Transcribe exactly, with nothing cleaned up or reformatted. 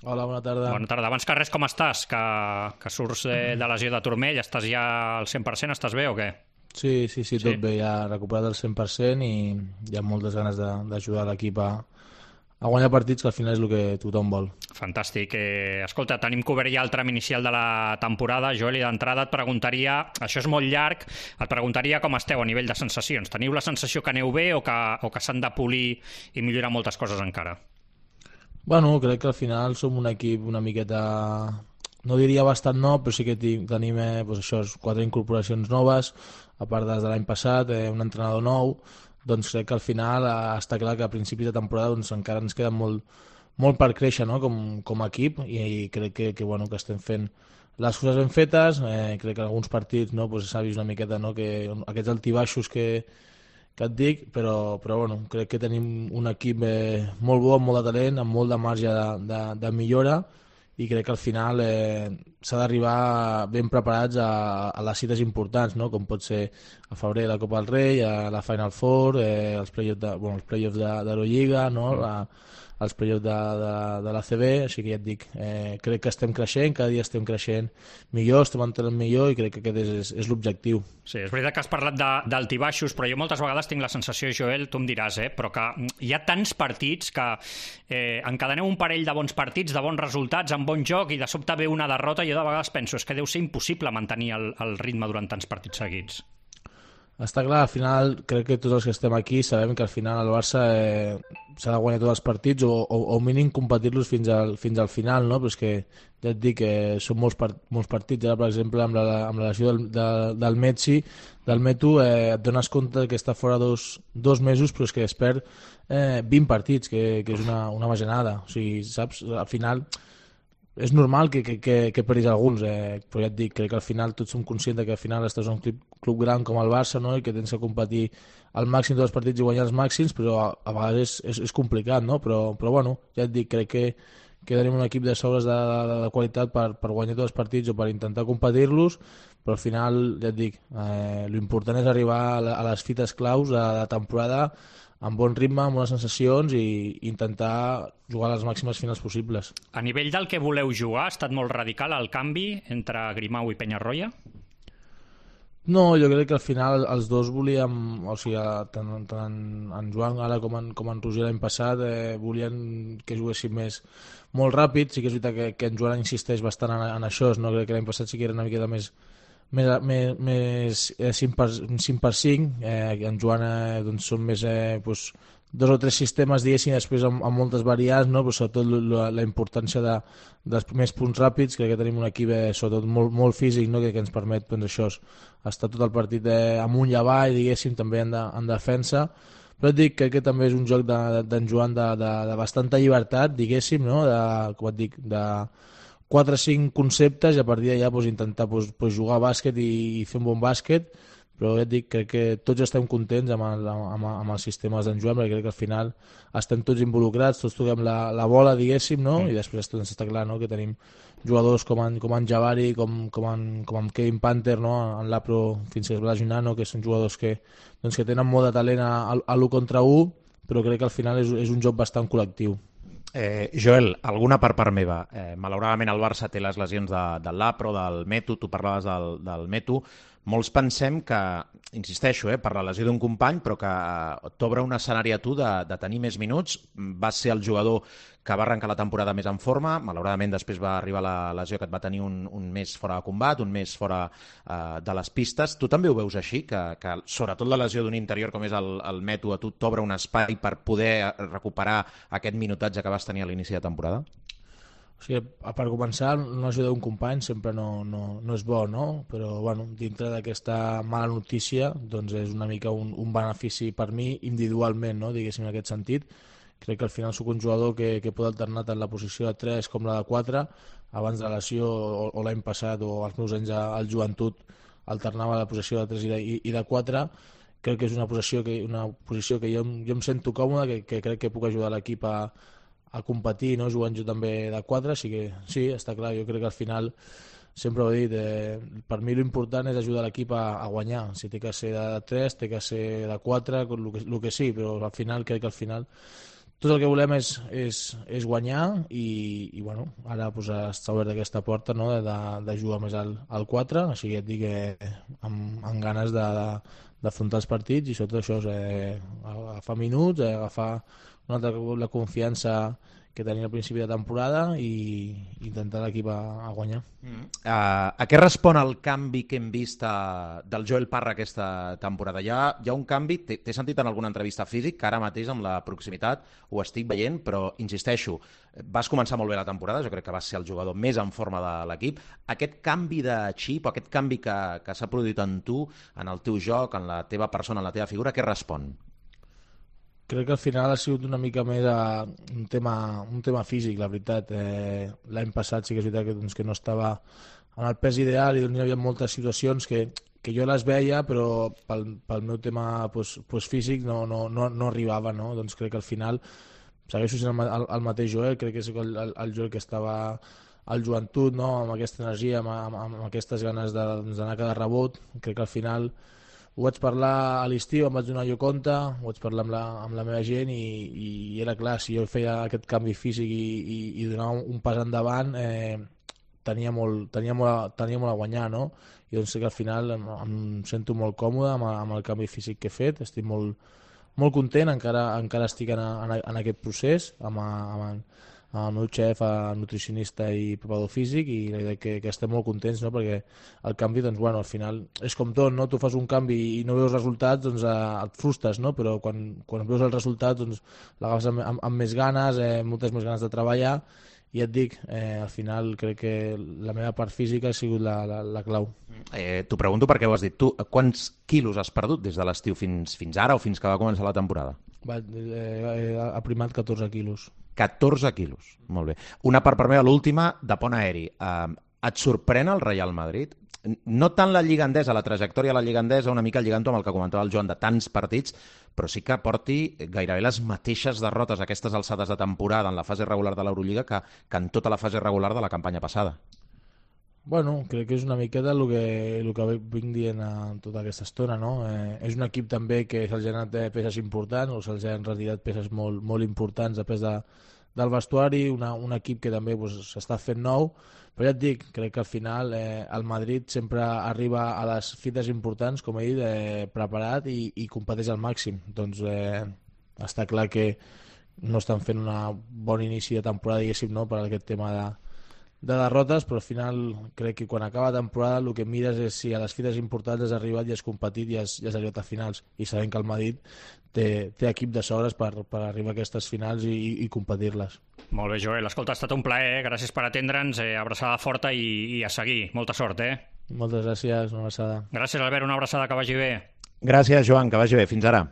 Hola, bona tarda. Bona tarda. Abans que res, com estàs? Que, que surts de, de lesió de turmell, estàs ja al cent per cent, estàs bé o què? Sí, sí, sí, Sí? tot bé, ja recuperat al cent per cent i hi ha moltes ganes de- d'ajudar l'equip a, a guanyar partits, que al final és el que tothom vol. Fantàstic. Eh, escolta, tenim cobert ja el tram inicial de la temporada. Joel, i d'entrada et preguntaria, això és molt llarg, et preguntaria com esteu a nivell de sensacions. Teniu la sensació que aneu bé o que, o que s'han de polir i millorar moltes coses encara? Bueno, crec que al final som un equip una miqueta, no diria bastant nou, però sí que ti- tenim eh, doncs això, quatre incorporacions noves, a part des de l'any passat, eh, un entrenador nou, doncs crec que al final eh, està clar que a principis de temporada doncs, encara ens queda molt, molt per créixer, no? com, com a equip, i, i crec que, que, bueno, que estem fent les coses ben fetes. Eh, crec que en alguns partits no, doncs s'ha vist una miqueta, no? que aquests altibaixos que, que et dic, però, però bueno, crec que tenim un equip eh, molt bo, amb molt de talent, amb molt de marge de, de, de millora, i crec que al final eh, s'ha d'arribar ben preparats a, a les cites importants, no? Com pot ser a febrer la Copa del Rei, a la Final Four, eh, els play-offs de, bueno, els play-offs de, d'Eurolliga, no? Mm. La, els play-offs de, de, de l'A C B, així que ja et dic, eh, crec que estem creixent, cada dia estem creixent millor, estem entrant millor, i crec que aquest és, és, és l'objectiu. Sí, és veritat que has parlat de- d'altibaixos, però jo moltes vegades tinc la sensació, Joel, tu em diràs, eh, però que hi ha tants partits que eh, encadeneu un parell de bons partits, de bons resultats, amb bon joc, i de sobte ve una derrota, i jo de vegades penso, és que deu ser impossible mantenir el, el ritme durant tants partits seguits. Està clar, al final crec que tots els que estem aquí sabem que al final el Barça eh, s'ha de guanyar tots els partits o, o, o mínim competir-los fins al, fins al final, no? Però és que ja et dic que són molts, part, molts partits. Ara, per exemple, amb la, amb la lesió del, de, del Messi, del Metu, eh, et dones compte que està fora dos, dos mesos, però és que es perd eh, vint partits, que, que és una, una bajanada. O sigui, saps? Al final és normal que, que, que, que perdis alguns, eh, però ja et dic, crec que al final tots som conscients que al final estàs en un club, club gran com el Barça, no? I que tens que competir al màxim dels partits i guanyar els màxims, però a, a vegades és, és, és complicat, no? Però, però bueno, ja et dic, crec que, que tenim un equip de sobres de, de, de qualitat per, per guanyar tots els partits o per intentar competir-los, però al final, ja et dic, eh, l'important és arribar a, la, a les fites claus de la temporada amb bon ritme, amb bones sensacions, i intentar jugar a les màximes finals possibles. A nivell del que voleu jugar, ha estat molt radical el canvi entre Grimau i Penyarroia? No, jo crec que al final els dos volíem, o sigui, tant, tant en Joan ara com en, com en Roger l'any passat, eh, volien que juguéssim més molt ràpid. Sí que és veritat que, que en Joan insisteix bastant en, en això, no? Crec que l'any passat sí que era una miqueta més més, més, més eh, cinc per cinc, eh, en Joan eh, doncs són més eh, doncs, dos o tres sistemes, diguéssim, després amb, amb moltes variants, no? Però sobretot la, la importància de, dels primers punts ràpids. Crec que tenim un equip eh, sobretot molt, molt físic, no? que, que ens permet doncs, això, estar tot el partit eh, amunt i avall, diguéssim, també en, de, en defensa. Però et dic que aquest també és un joc d'en de, de, Joan de, de, de bastanta llibertat, diguéssim, no? De, com et dic, de quatre o cinc conceptes, i a partir d'allà pues, intentar pues, pues, jugar a bàsquet i, i fer un bon bàsquet. Però ja et dic, crec que tots estem contents amb, el, amb, amb els sistemes d'en Joan, perquè crec que al final estem tots involucrats, tots toquem la, la bola, diguéssim, no? Mm. I després doncs, està clar, no? Que tenim jugadors com en, com en Jabari, com, com, en, com en Kevin Panther, no? En l'Apro fins que es va lesionar, no? Que són jugadors que, doncs, que tenen molt de talent a, a l'u contra u, però crec que al final és, és un joc bastant col·lectiu. Eh, Joel, alguna per part meva. Eh, malauradament el Barça té les lesions de, de l'Apro, del Metu, tu parlaves del, del Metu. Molts pensem que, insisteixo, eh, per la lesió d'un company, però que t'obre un escenari a tu de, de tenir més minuts. Vas ser el jugador que va arrencar la temporada més en forma, malauradament després va arribar la lesió que et va tenir un, un mes fora de combat, un mes fora eh, de les pistes. Tu també ho veus així, que, que sobretot la lesió d'un interior com és el, el Metu a tu t'obre un espai per poder recuperar aquest minutatge que vas tenir a l'inici de temporada? O sigui, per començar, una ajuda d'un company sempre no, no, no és bo, no? Però bueno, dintre d'aquesta mala notícia doncs és una mica un, un benefici per mi individualment, no? Diguéssim, en aquest sentit. Crec que al final sóc un jugador que, que pot alternar tant la posició de tres com la de quatre. Abans de la lesió o, o l'any passat o els meus anys al joventut alternava la posició de tres i de, i, i de quatre. Crec que és una posició que, una posició que jo, jo em sento còmode, que, que crec que puc ajudar l'equip a, a competir, no? Jugant jo també de quatre, així que sí, està clar, jo crec que al final sempre ho he dit, eh, per mi l'important és ajudar l'equip a, a guanyar. Si té que ser de tres, té que ser de quatre, el que, el que sí, però al final crec que al final tot el que volem és, és, és guanyar i, i bueno, ara pues, està obert aquesta porta, no? de, de jugar més al, al quatre, així que et dic que amb, amb ganes de, de, d'afrontar els partits i sobretot això és eh, agafar minuts, eh, agafar una altra, la confiança que tenia al principi de temporada i intentar l'equip a, a guanyar. Mm. Uh, a què respon el canvi que hem vist uh, del Joel Parra aquesta temporada? Hi ha, hi ha un canvi, t'he sentit en alguna entrevista físic, que ara mateix amb la proximitat ho estic veient, però insisteixo, vas començar molt bé la temporada, jo crec que vas ser el jugador més en forma de l'equip. Aquest canvi de xip, o aquest canvi que, que s'ha produït en tu, en el teu joc, en la teva persona, en la teva figura, què respon? Crec que al final ha sigut una mica més a un tema, un tema físic, la veritat. Eh, L'any passat sí que és veritat que, doncs, que no estava en el pes ideal i doncs, hi havia moltes situacions que, que jo les veia, però pel, pel meu tema pues, pues, físic no, no, no, no arribava. No? Doncs crec que al final segueixo sent el, el, el mateix Joel, crec que és el, el, el Joel que estava al joventut, no? Amb aquesta energia, amb, amb, amb aquestes ganes d'anar doncs, a cada rebot. Crec que al final ho vaig parlar a l'estiu, em vaig donar jo compte, ho vaig parlar amb la, amb la meva gent i, i era clar, si jo feia aquest canvi físic i, i, i donava un pas endavant, eh, tenia, molt, tenia, molt, tenia molt a guanyar, no? I doncs sé que al final em, em sento molt còmode amb, amb el canvi físic que he fet, estic molt, molt content, encara, encara estic en, en, en aquest procés, amb, amb, amb el meu xef, el nutricionista i preparador físic, i la idea que, que estem molt contents, no? Perquè el canvi, doncs, bueno, al final és com tot, no? Tu fas un canvi i no veus resultats, doncs eh, et frustres, no? Però quan, quan veus els resultats, doncs l'agafes amb, amb, amb més ganes, eh, moltes més ganes de treballar, i et dic, eh, al final crec que la meva part física ha sigut la, la, la clau. Eh, T'ho pregunto perquè ho has dit tu, quants quilos has perdut des de l'estiu fins, fins ara o fins que va començar la temporada? Va, eh, ha primat catorze quilos. catorze quilos, molt bé. Una part per meva, l'última, de pont aeri. Uh, et sorprèn el Real Madrid? No tant la Lliga Endesa, la trajectòria de la Lliga Endesa, una mica lligant-ho amb el que comentava el Joan, de tants partits, però sí que porti gairebé les mateixes derrotes a aquestes alçades de temporada en la fase regular de l'Eurolliga que, que en tota la fase regular de la campanya passada. Bueno, crec que és una miqueta el que, el que vinc dient en tota aquesta estona, no? Eh, és un equip també que se'ls ha anat peces importants o se'ls han retirat peces molt, molt importants després de, del vestuari, una, un equip que també s'està pues, fent nou, però ja et dic, crec que al final eh, el Madrid sempre arriba a les fites importants, com he dit, eh, preparat i, i competeix al màxim. Doncs eh, està clar que no estan fent un bon inici de temporada, diguéssim, no? Per aquest tema de de derrotes, però al final crec que quan acaba la temporada el que mires és si a les fites importants has arribat i has competit i has, i has arribat a finals, i sabem que el Madrid té, té equip de sobres per, per arribar a aquestes finals i, i, i competir-les. Molt bé, Joel, escolta, ha estat un plaer, eh? Gràcies per atendre'ns, eh? Abraçada forta i, i a seguir, molta sort, eh? Moltes gràcies, una abraçada. Gràcies, Albert, una abraçada, que vagi bé. Gràcies, Joan, que vagi bé, fins ara.